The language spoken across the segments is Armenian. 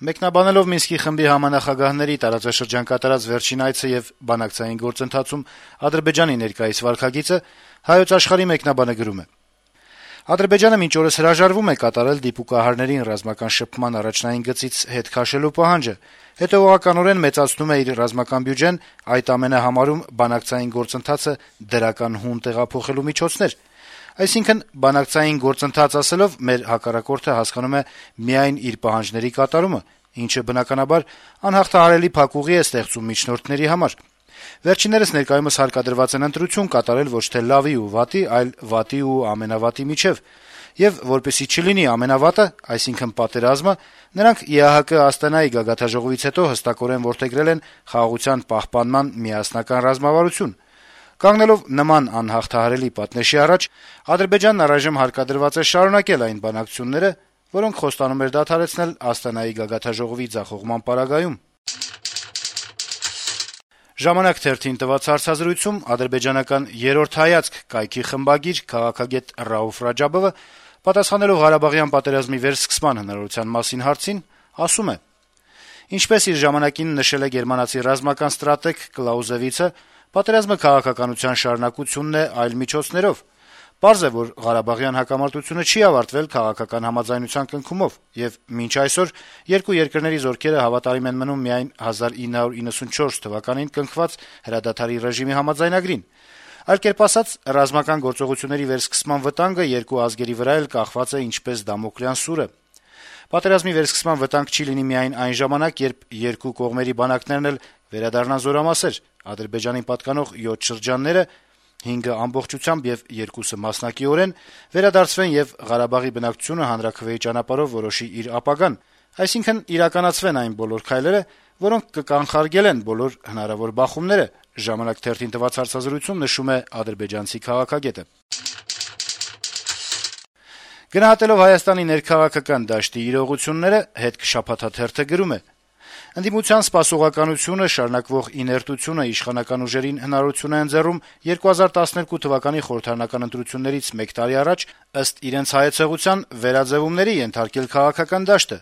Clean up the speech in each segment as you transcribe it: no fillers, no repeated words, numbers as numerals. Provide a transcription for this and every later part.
Մեկնաբանելով Մինսկի խմբի համանախագահների տարածաշրջան կատարած վերջին այցը եւ բանակցային գործընթացում Ադրբեջանի ներկայիս վարքագիծը, Հայոց Աշխարհի մեկնաբանը գրում է. - Ադրբեջանը մինչ օրս հրաժարվում է կատարել դիպուկահարներին ռազմական շփման առաջնային գծից հետ քաշելու պահանջը, հետեւողականորեն մեծացնում է իր ռազմական բյուջեն, այդ ամենը համարում բանակցային գործընթացը դրական հուն տեղափոխելու միջոցներ: Այսինքն, բանակցային գործընթաց ասելով, մեր հակառակորդը հասկանում է միայն իր պահանջների կատարումը, ինչը բնականաբար անհաղթահարելի փակուղի է ստեղծում միջնորդների համար: Վերջիններս ներկայումս հարկադրված են ընտրություն կատարել ոչ թե լավի ու վատի, այլ վատի ու ամենավատի միջեւ, եւ որպեսզի չլինի ամենավատը, այսինքն պատերազմը, նրանք ԵԱՀԿ Աստանայի գագաթնաժողովից հետո հստակորեն որդեգրել են խաղաղության պահպանման միասնական ռազմավարություն: Կանգնելով նման անհաղթահարելի պատնեշի առաջ, Ադրբեջանն առայժմ հարկադրված է շարունակել այն բանակցությունները, որոնք խոստանում էր դադարեցնել Աստանայի գագաթնաժողովի ձախողման պարագայում: «Ժամանակ» թերթին տված հարցազրույցում ադրբեջանական «Երրորդ հայացք» կայքի խմբագիր, քաղաքագետ Ռաուֆ Ռաջաբովը, պատասխանելով Ղարաբաղյան պատերազմի վերսկսման հնարավորության մասին հարցին, ասում է. - «Ինչպես իր ժամանակին նշել է գերմանացի ռազմական ստրատեգ Կլաուզեվիցը, պատերազմը քաղաքականության շարունակությունն է այլ միջոցներով: Պարզ է, որ Ղարաբաղյան հակամարտությունը չի ավարտվել քաղաքական համաձայնության կնքումով, եւ մինչ այսօր երկու երկրների զորքերը հավատարիմ են մնում միայն 1994 թվականին կնքված հրադադարի ռեժիմի համաձայնագրին: Այլ կերպ ասած, ռազմական գործողությունների վերսկսման վտանգը երկու ազգերի վրա էլ կախված է ինչպես Դամոկլյան սուրը: Պատերազմի վերսկսման վտանգ չի լինի միայն այն ժամանակ, երբ երկու կողմերի բանակներն էլ վերադառնան զորամասեր: Ադրբեջանին պատկանող 7 շրջանները, 5-ը ամբողջությամբ եւ 2-ը մասնակիորեն, վերադարձվեն եւ Ղարաբաղի բնակչությունը հանրաքվեի ճանապարհով որոշի իր ապագան: Այսինքն, իրականացվեն այն բոլոր քայլերը, որոնք կկանխարգելեն բոլոր հնարավոր բախումները», «Ժամանակ» թերթին տված հարցազրույցում նշում է ադրբեջանցի քաղաքագետը: Գնահատելով Հայաստանի ներքաղաքական դաշտի իրողությունները, «Հետք» թերթը գրում է. - «Ընդդիմության սպասողականությունը, շարունակվող իներտությունը իշխանական ուժերին հնարավորություն է ընձեռում 2012 թվականի խորհրդարանական ընտրություններից մեկ տարի առաջ, ըստ իրենց հայեցողության, վերաձեւումների ենթարկել քաղաքական դաշտը: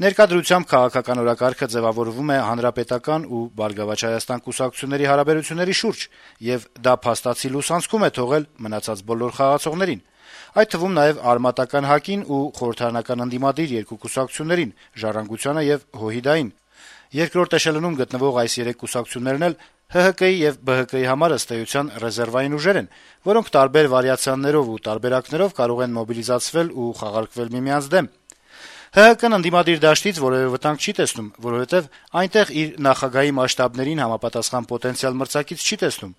Ներկա դրությամբ քաղաքական օրակարգը ձեւավորվում է Հանրապետական ու Բարգավաճ Հայաստան կուսակցությունների հարաբերությունների շուրջ, եւ դա փաստացի լուսանցքում է թողել մնացած բոլոր խաղացողներին, այդ թվում նաեւ արմատական ՀԱԿ-ին ու խորհրդարանական ընդդիմադիր երկու կուսակցություններին՝ «Ժառանգությանը» եւ «ՀՅԴ-ին»: Երկրորդ էշելոնում գտնվող այս երեք կուսակցություններն էլ ՀՀԿ-ի եւ ԲՀԿ-ի համար, ըստ էության, ռեզերվային ուժեր են, որոնք տարբեր վարիացիաներով ու տարբերակներով կարող են մոբիլիզացվել ու խաղարկվել միմյանց դեմ: ՀՀԿ-ն ընդդիմադիր դաշտից որեւէ վտանգ չի տեսնում, որովհետեւ այնտեղ իր նախագահի մասշտաբներին համապատասխան պոտենցիալ մրցակից չի տեսնում: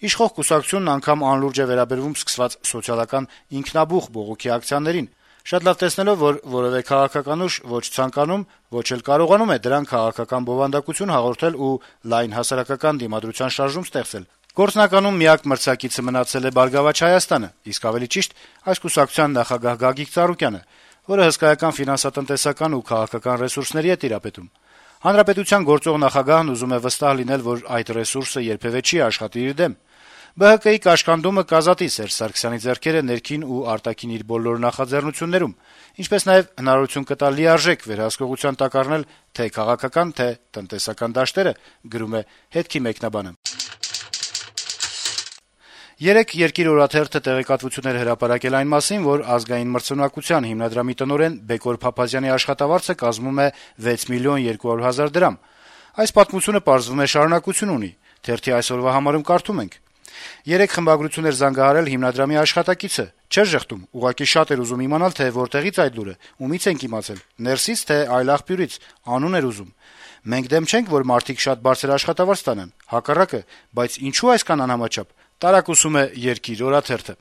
Իշխող կուսակցությունն անգամ անլուրջ է վերաբերվում սկսված սոցիալական ինքնաբուխ բողոքի ակցիաներին, շատ լավ տեսնելով, որ որեւէ քաղաքական ուժ ոչ ցանկանում, ոչ էլ կարողանում է դրան քաղաքական բովանդակություն հաղորդել ու լայն հասարակական դիմադրության շարժում ստեղծել: Գործնականում միակ մրցակիցը մնացել է «Բարգավաճ Հայաստանը», իսկ ավելի ճիշտ այս կուսակցության նախագահ Գագիկ Ծառուկյանը, որը հսկայական ֆինանսատնտեսական ու քաղաքական ռեսուրսների է տիրապետում: Հանրապետության գործող նախագահն ուզում է վստահ լինել, որ այդ ռեսուրսը երբեւէ չի աշխատի իր դեմ: ԲՀԿ-ի կաշկանդումը կազատի Սերժ Սարգսյանի ձեռքերը ներքին ու արտաքին իր բոլոր նախաձեռնություններում, ինչպես նաեւ հնարավորություն կտա լիարժեք վերահսկողության տակ առնել թե քաղաքական, թե տնտեսական դաշտերը, գրում է «Հետք»-ի մեկնաբանը: Երեկ «Երկիր» օրաթերթը տեղեկատվություն էր հրապարակել այն մասին, որ Ազգային մրցունակության հիմնադրամի տնօրեն Բեկոր Փափազյանի աշխատավարձը կազմում է 6 միլիոն 200 հազար դրամ: Այս պատմությունը պարզվում է շարունակություն ունի: Թերթի այսօրվա համարում կարդում ենք. - «Երեկ խմբագրություն էր զանգահարել հիմնադրամի աշխատակիցը: Չէր ժխտում, ուղղակի շատ էր ուզում իմանալ, թե որտեղից այդ լուրը, ումից ենք իմացել, «Ներսի՞ց, թե այլ աղբյուրից», անուն էր ուզում: Մենք դեմ չենք, որ մարդիկ շատ բարձր աշխատավարձ ստանան, հակառակը, բայց ինչո՞ւ այսքան անհամաչափ», տարակուսում է «Երկիր» օրաթերթը: